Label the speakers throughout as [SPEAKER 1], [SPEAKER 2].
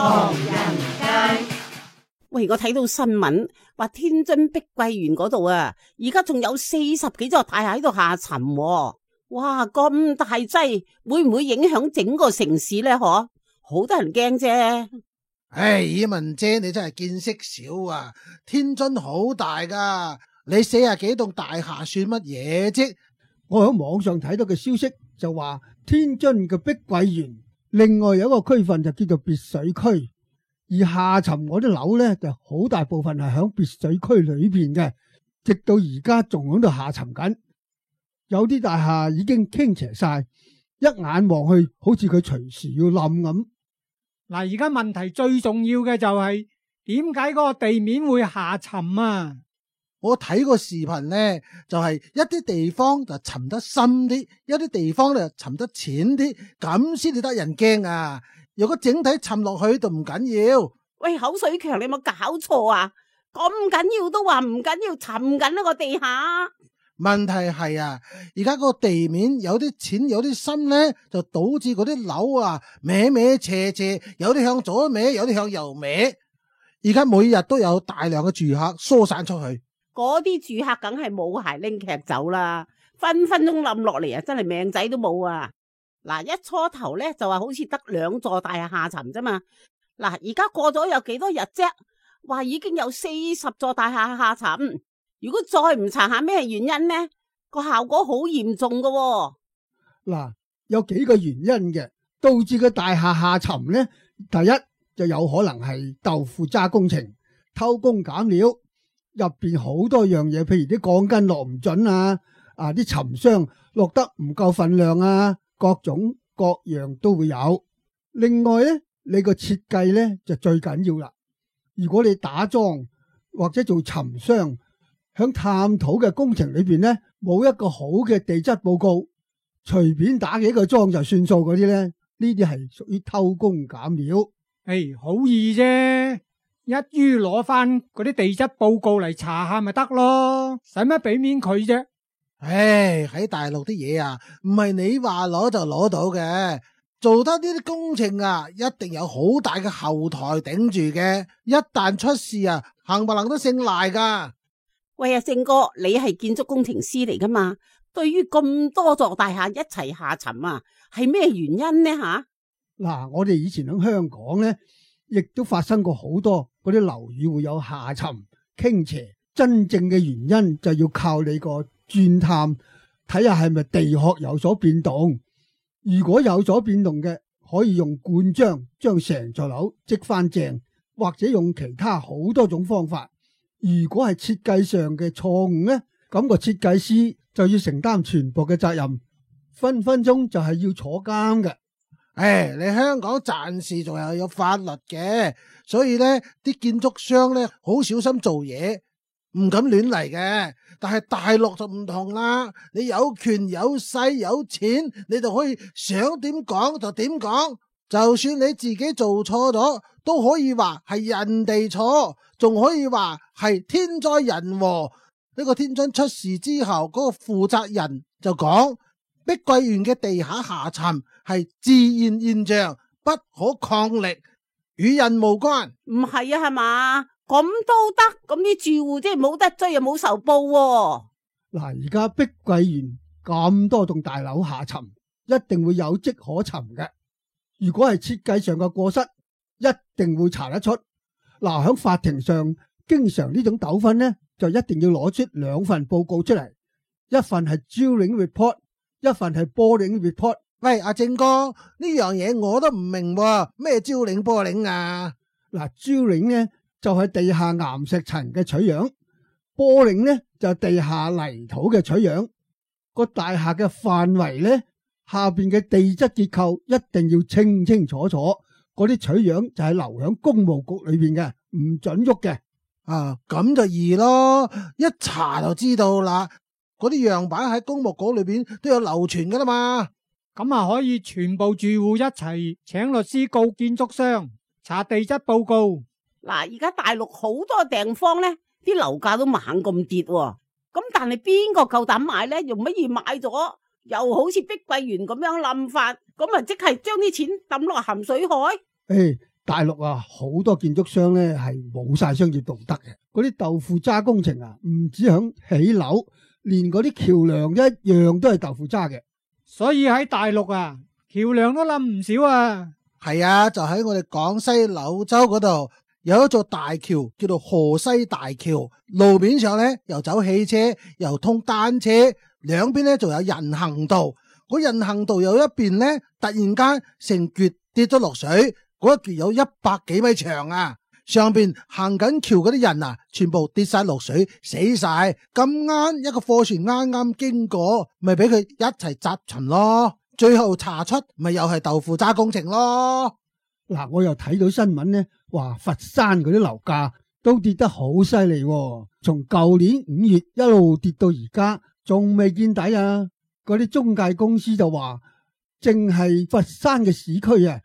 [SPEAKER 1] 唐人街。
[SPEAKER 2] 喂，我睇到新聞話天津碧桂園嗰度啊，而家仲有40幾座大廈喺度下沉喎。哇，咁大劑，會唔會影響整個城市呢？嗬，好多人驚啫。
[SPEAKER 3] 唉，以文姐你真係見識少啊！天津好大噶，你40幾棟大廈算乜嘢啫？
[SPEAKER 4] 我喺網上睇到嘅消息就話，天津嘅碧桂園另外有一個區份就叫做別墅區，而下沉嗰啲樓呢，就好大部分係響別墅區裏邊嘅，直到而家仲喺度下沉緊。有啲大廈已經傾斜晒，一眼望去好似佢隨時要冧咁。
[SPEAKER 5] 嗱，而家問題最重要嘅就係點解嗰個地面會下沉啊？
[SPEAKER 3] 我睇個視頻呢，就係一啲地方就沉得深啲，一啲地方就沉得淺啲，咁先至得人驚啊！如果整體沉落去就唔緊要。
[SPEAKER 2] 喂，口水強，你有冇搞錯啊？咁緊要都話唔緊要，沉緊呢個地下。
[SPEAKER 3] 問題係啊，而家個地面有啲淺有啲深呢，就導致嗰啲樓啊歪歪斜斜，有啲向左歪，有啲向右歪。而家每日都有大量嘅住客疏散出去，
[SPEAKER 2] 嗰啲住客梗係冇鞋拎劇走啦，分分鐘冧落嚟啊！真係命仔都冇啊！嗱，一初頭咧就話好似得2座大廈下沉啫嘛。嗱，而家過咗有幾多日啫？話已經有40座大廈下沉。如果再唔查下咩原因呢，個效果好嚴重噶喎。
[SPEAKER 4] 嗱，有幾個原因嘅導致個大廈下沉呢？第一就有可能係豆腐渣工程、偷工減料，入邊好多樣嘢，譬如啲鋼筋落唔準啊，啲沉箱落得唔夠份量啊，各種各樣都會有。另外呢，你個設計呢就最緊要啦。如果你打樁或者做沉箱，響探討嘅工程裏邊呢，冇一個好嘅地質報告，隨便打幾個樁就算數嗰啲呢，呢啲係屬於偷工減料。
[SPEAKER 5] 好易啫，一於攞翻嗰啲地質報告嚟查下咪得咯，使乜俾面佢啫？
[SPEAKER 3] 喺大陸啲嘢啊，唔係你話攞就攞到嘅，做得呢啲工程啊，一定有好大嘅後台頂住嘅，一旦出事啊，冚唪唥都姓賴噶。
[SPEAKER 2] 喂啊，正哥，你係建築工程師嚟噶嘛？對於咁多座大廈一齊下沉啊，係咩原因呢吓？
[SPEAKER 4] 嗱，我哋以前喺香港呢，亦都發生過好多嗰啲樓宇會有下沉傾斜，真正嘅原因就要靠你個鑽探，睇下係咪地殼有所變動。如果有所變動嘅，可以用灌漿將成座樓積翻正，或者用其他好多種方法。如果係設計上嘅錯誤呢，咁個設計師就要承擔全部嘅責任，分分鐘就係要坐監嘅。
[SPEAKER 3] 你香港暫時仲係有法律嘅，所以呢啲建築商呢好小心做嘢，唔敢亂嚟嘅。但係大陸就唔同啦，你有權有勢有錢，你就可以想點講就點講。就算你自己做錯咗，都可以話係人哋錯，仲可以話係天災人禍。呢個天津出事之後，嗰個負責人就講，碧桂園嘅地下下沉係自然現象，不可抗力，與人無關。
[SPEAKER 2] 唔係啊，係嘛？咁都得？咁啲住戶即係冇得追又冇仇報喎。
[SPEAKER 4] 嗱，而家碧桂園咁多棟大樓下沉，一定會有跡可尋嘅。如果係設計上嘅過失，一定會查得出。嗱，喺法庭上，經常呢種糾紛呢，就一定要攞出2份報告出嚟，一份係 drilling report， 一份係 boring report。
[SPEAKER 3] 喂，阿正哥，呢樣嘢我都唔明喎，咩 drilling boring 啊？
[SPEAKER 4] 嗱，drilling呢就係地下岩石層嘅取樣，boring呢就係地下泥土嘅取樣。個大廈嘅範圍呢，下邊嘅地質結構一定要清清楚楚，嗰啲取樣就係留響工務局裏邊嘅，唔准喐嘅。
[SPEAKER 3] 咁就易咯，一查就知道啦。嗰啲樣板喺工務局裏邊都有流傳噶啦嘛。
[SPEAKER 5] 咁啊，可以全部住戶一齊請律師告建築商查地質報告。
[SPEAKER 2] 嗱，而家大陸好多地方呢，啲樓價都猛咁跌喎。咁但係邊個夠膽買呢？用乜嘢買咗？又好似碧桂園咁樣冧法，咁啊即係將啲錢抌落鹹水海。
[SPEAKER 4] 大陸啊，好多建築商咧係冇晒商業道德嘅。嗰啲豆腐渣工程啊，唔止響起樓，連嗰啲橋梁一樣都係豆腐渣嘅。
[SPEAKER 5] 所以喺大陸啊，橋梁都冧唔少啊。
[SPEAKER 3] 係啊，就喺我哋廣西柳州嗰度有一座大橋，叫做河西大橋。路面上咧又走汽車，又通單車，兩邊咧仲有人行道。嗰人行道有一邊咧，突然間成橛跌咗落水，嗰一橛有100幾米長啊！上邊行緊橋嗰啲人啊，全部跌晒落水，死晒。咁啱一個貨船啱啱經過，咪俾佢一齊砸沉咯。最後查出咪又係豆腐渣工程咯。
[SPEAKER 4] 嗱，我又睇到新聞咧，話佛山嗰啲樓價都跌得好犀利，從舊年5月一路跌到而家，仲未見底啊！嗰啲中介公司就話，淨係佛山嘅市區啊，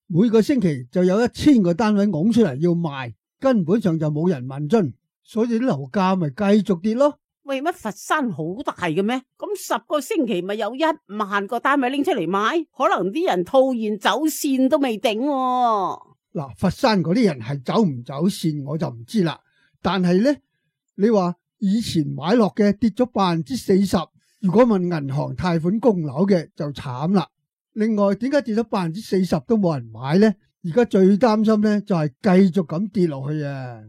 [SPEAKER 4] 每個星期就有1000個單位拱出嚟要賣，根本上就冇人問津，所以啲樓價咪繼續跌咯。
[SPEAKER 2] 喂，乜佛山好大嘅咩？咁10個星期咪有1萬個單位拎出嚟賣，可能啲人套現走線都未定喎。
[SPEAKER 4] 嗱，佛山嗰啲人係走唔走線我就唔知啦，但係呢，你話以前買落嘅跌咗40%，如果問銀行貸款供樓嘅就慘啦。另外，點解跌咗40%都冇人買呢？而家最擔心呢就係繼續咁跌落去啊！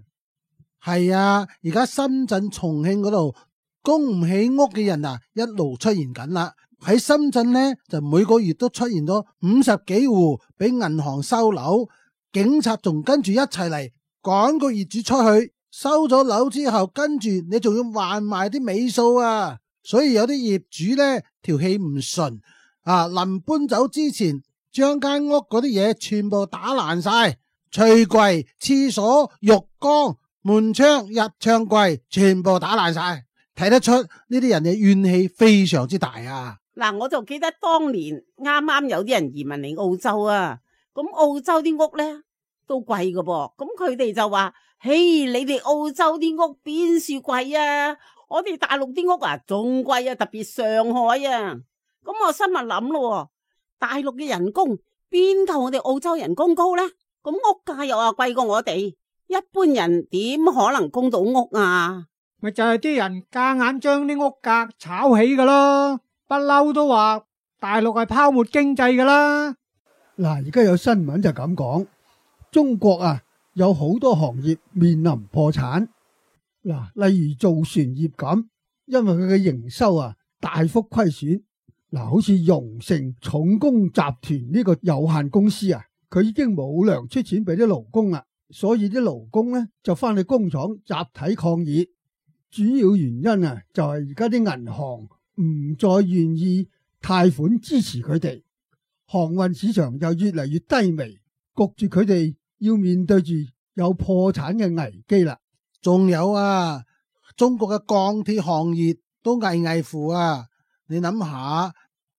[SPEAKER 3] 係啊，而家深圳、重慶嗰度供唔起屋嘅人啊，一路出現緊啦。喺深圳呢，就每個月都出現咗50幾戶俾銀行收樓，警察仲跟住一齊嚟趕個業主出去。收咗樓之後，跟住你仲要還埋啲尾數啊！所以有啲業主呢，條氣唔順啊，臨搬走之前將間屋嗰啲嘢全部打爛晒，櫥櫃、廁所、浴缸、門窗、日暢櫃全部打爛晒，睇得出呢啲人嘅怨氣非常之大啊！
[SPEAKER 2] 嗱，我就記得當年啱啱有啲人移民嚟澳洲啊，咁澳洲啲屋咧都貴噶噃，咁佢哋就話：嘿，你哋澳洲啲屋邊處貴啊？我哋大陸啲屋啊仲貴啊，特別上海啊。咁我心咪諗咯，大陸嘅人工邊夠我哋澳洲人工高咧？咁屋價又話貴過我哋，一般人點可能供到屋啊？
[SPEAKER 5] 咪就係啲人夾硬將啲屋價炒起噶咯，不嬲都話大陸係泡沫經濟噶啦。
[SPEAKER 4] 嗱，而家有新聞就咁講，中國啊有好多行業面臨破產。嗱，例如造船業咁，因為佢嘅營收啊大幅虧損。嗱，好似榮成重工集團呢個有限公司啊，佢已經冇糧出錢俾啲勞工啦，所以啲勞工呢就翻去工廠集體抗議。主要原因啊就係而家啲銀行唔再願意貸款支持佢哋，航運市場又越嚟越低微，焗住佢哋要面對住有破產嘅危機啦。
[SPEAKER 3] 仲有啊，中國嘅鋼鐵行業都危危乎啊！你諗下，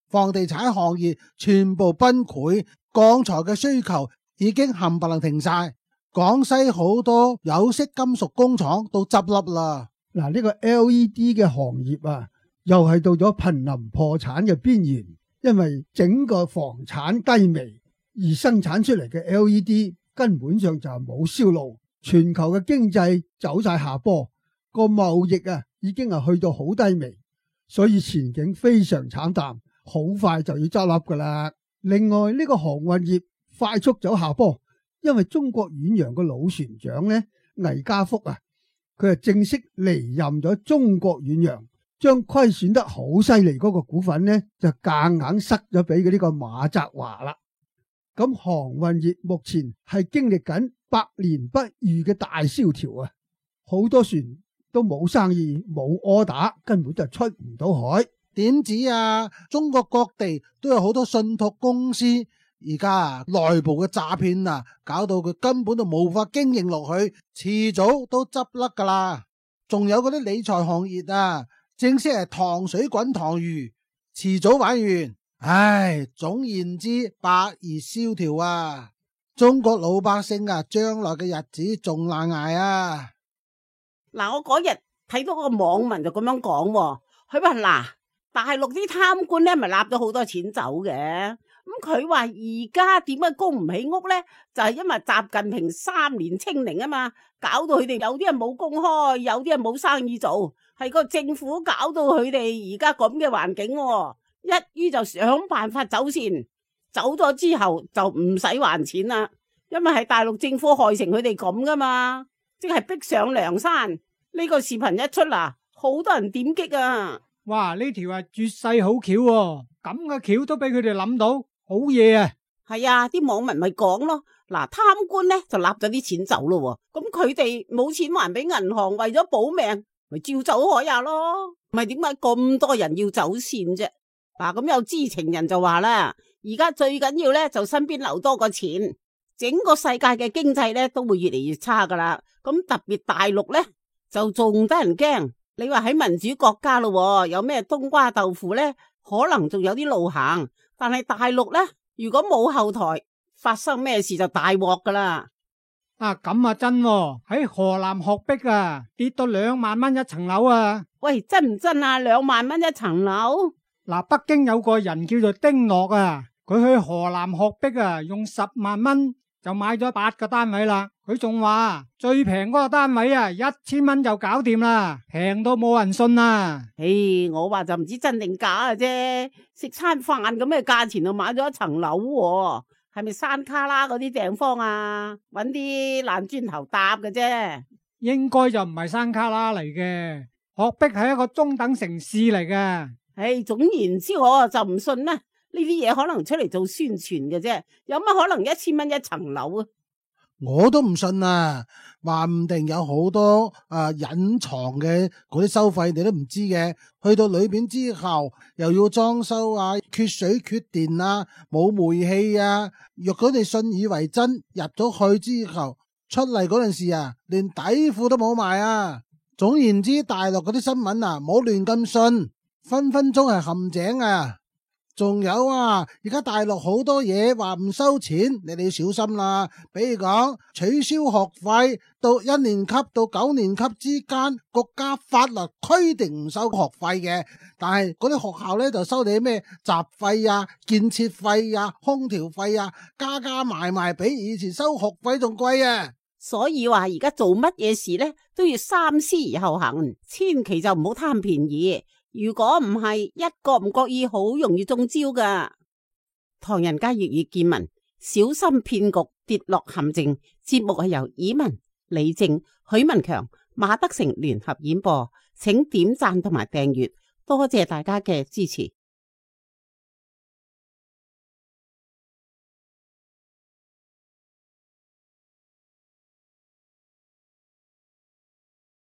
[SPEAKER 3] 房地產行業全部崩潰，鋼材嘅需求已經冚唪唥停晒。廣西好多有色金屬工廠都執笠啦。
[SPEAKER 4] 嗱，呢個 LED 嘅行業啊，又係到咗瀕臨破產嘅邊緣，因為整個房產低微，而生產出嚟嘅 LED 根本上就係冇銷路。全球嘅經濟走晒下坡，個貿易啊已經係去到好低微，所以前景非常慘淡，好快就要執笠噶啦。另外呢個航運業快速走下坡，因為中國遠洋嘅老船長呢，魏家福啊，佢係正式離任咗中國遠洋，將虧損得好犀利嗰個股份呢，就夾硬塞咗俾呢個馬澤華啦。咁航運業目前係經歷緊百年不遇嘅大蕭條啊！好多船都冇生意，冇柯打，根本就出唔到海。
[SPEAKER 3] 點止啊？中國各地都有好多信託公司，而家內部嘅詐騙啊，搞到佢根本就無法經營落去，遲早都執笠噶啦。仲有嗰啲理財行業啊，正式係糖水滾糖魚，遲早玩完。唉，總言之，百業蕭條啊！中國老百姓啊，將來嘅日子仲難捱啊！
[SPEAKER 2] 嗱，我嗰日睇到個網民就咁樣講，佢話嗱，大陸啲貪官咧咪納咗好多錢走嘅，咁佢話而家點解供唔起屋呢？就係因為習近平3年清零啊嘛，搞到佢哋有啲人冇工開，有啲人冇生意做，係個政府搞到佢哋而家咁嘅環境喎。一於就想辦法走線，走咗之後就唔使還錢啦，因為係大陸政府害成佢哋咁噶嘛，即係逼上梁山。呢個視頻一出啦，好多人點擊啊！
[SPEAKER 5] 哇！呢條係絕世好橋喎，咁嘅橋都俾佢哋諗到，好嘢啊！
[SPEAKER 2] 係啊，啲網民咪講咯，嗱，貪官咧就立咗啲錢走咯，咁佢哋冇錢還俾銀行，為咗保命，咪照走海呀咯。唔係點解咁多人要走線啫？嗱，咁有知情人就話啦，而家最緊要咧就身邊留多個錢，整個世界嘅經濟咧都會越嚟越差噶啦。咁特別大陸咧就仲得人驚。你話喺民主國家咯，有咩冬瓜豆腐咧，可能仲有啲路行。但係大陸咧，如果冇後台，發生咩事就大鑊噶啦。
[SPEAKER 5] 啊，咁啊真喎，喺河南學壁啊，跌到2萬蚊一層樓啊！
[SPEAKER 2] 喂，真唔真啊？2萬蚊一層樓？
[SPEAKER 5] 嗱，北京有個人叫做丁樂啊，佢去河南學壁啊，用10萬蚊就買咗8個單位啦。佢仲話最平嗰個單位啊，1000蚊就搞掂啦，平到冇人信啊！
[SPEAKER 2] 我話就唔知真定假嘅啫，食餐飯咁嘅價錢就買咗一層樓喎，係咪山卡拉嗰啲地方啊？搵啲爛磚頭搭嘅啫，
[SPEAKER 5] 應該就唔係山卡拉嚟嘅，學壁係一個中等城市嚟嘅。
[SPEAKER 2] 總言之我就唔信啦，呢啲嘢可能出嚟做宣傳嘅啫，有乜可能1000蚊一層樓啊？
[SPEAKER 3] 我都唔信啊，話唔定有好多隱藏嘅嗰啲收費你都唔知嘅，去到裏邊之後又要裝修啊，缺水缺電啊，冇煤氣啊，若果你信以為真，入咗去之後出嚟嗰陣時啊，連底褲都冇埋啊。總言之，大陸嗰啲新聞啊，唔好亂咁信，分分鐘係陷阱啊。仲有啊，而家大陸好多嘢話唔收錢，你哋要小心啦。比如講取消學費，到1年級到9年級之間，國家法律規定唔收學費嘅，但係嗰啲學校咧就收你咩雜費啊、建設費啊、空調費啊，加埋比以前收學費仲貴啊。
[SPEAKER 2] 所以話而家做乜嘢事咧都要三思而後行，千祈就唔好貪便宜。如果唔係，一個唔覺意，好容易中招噶。唐人街粵語見聞，小心騙局，跌落陷阱。節目係由以文、李正、許文強、馬德成聯合演播，請點讚同埋訂閱，多謝大家嘅支持。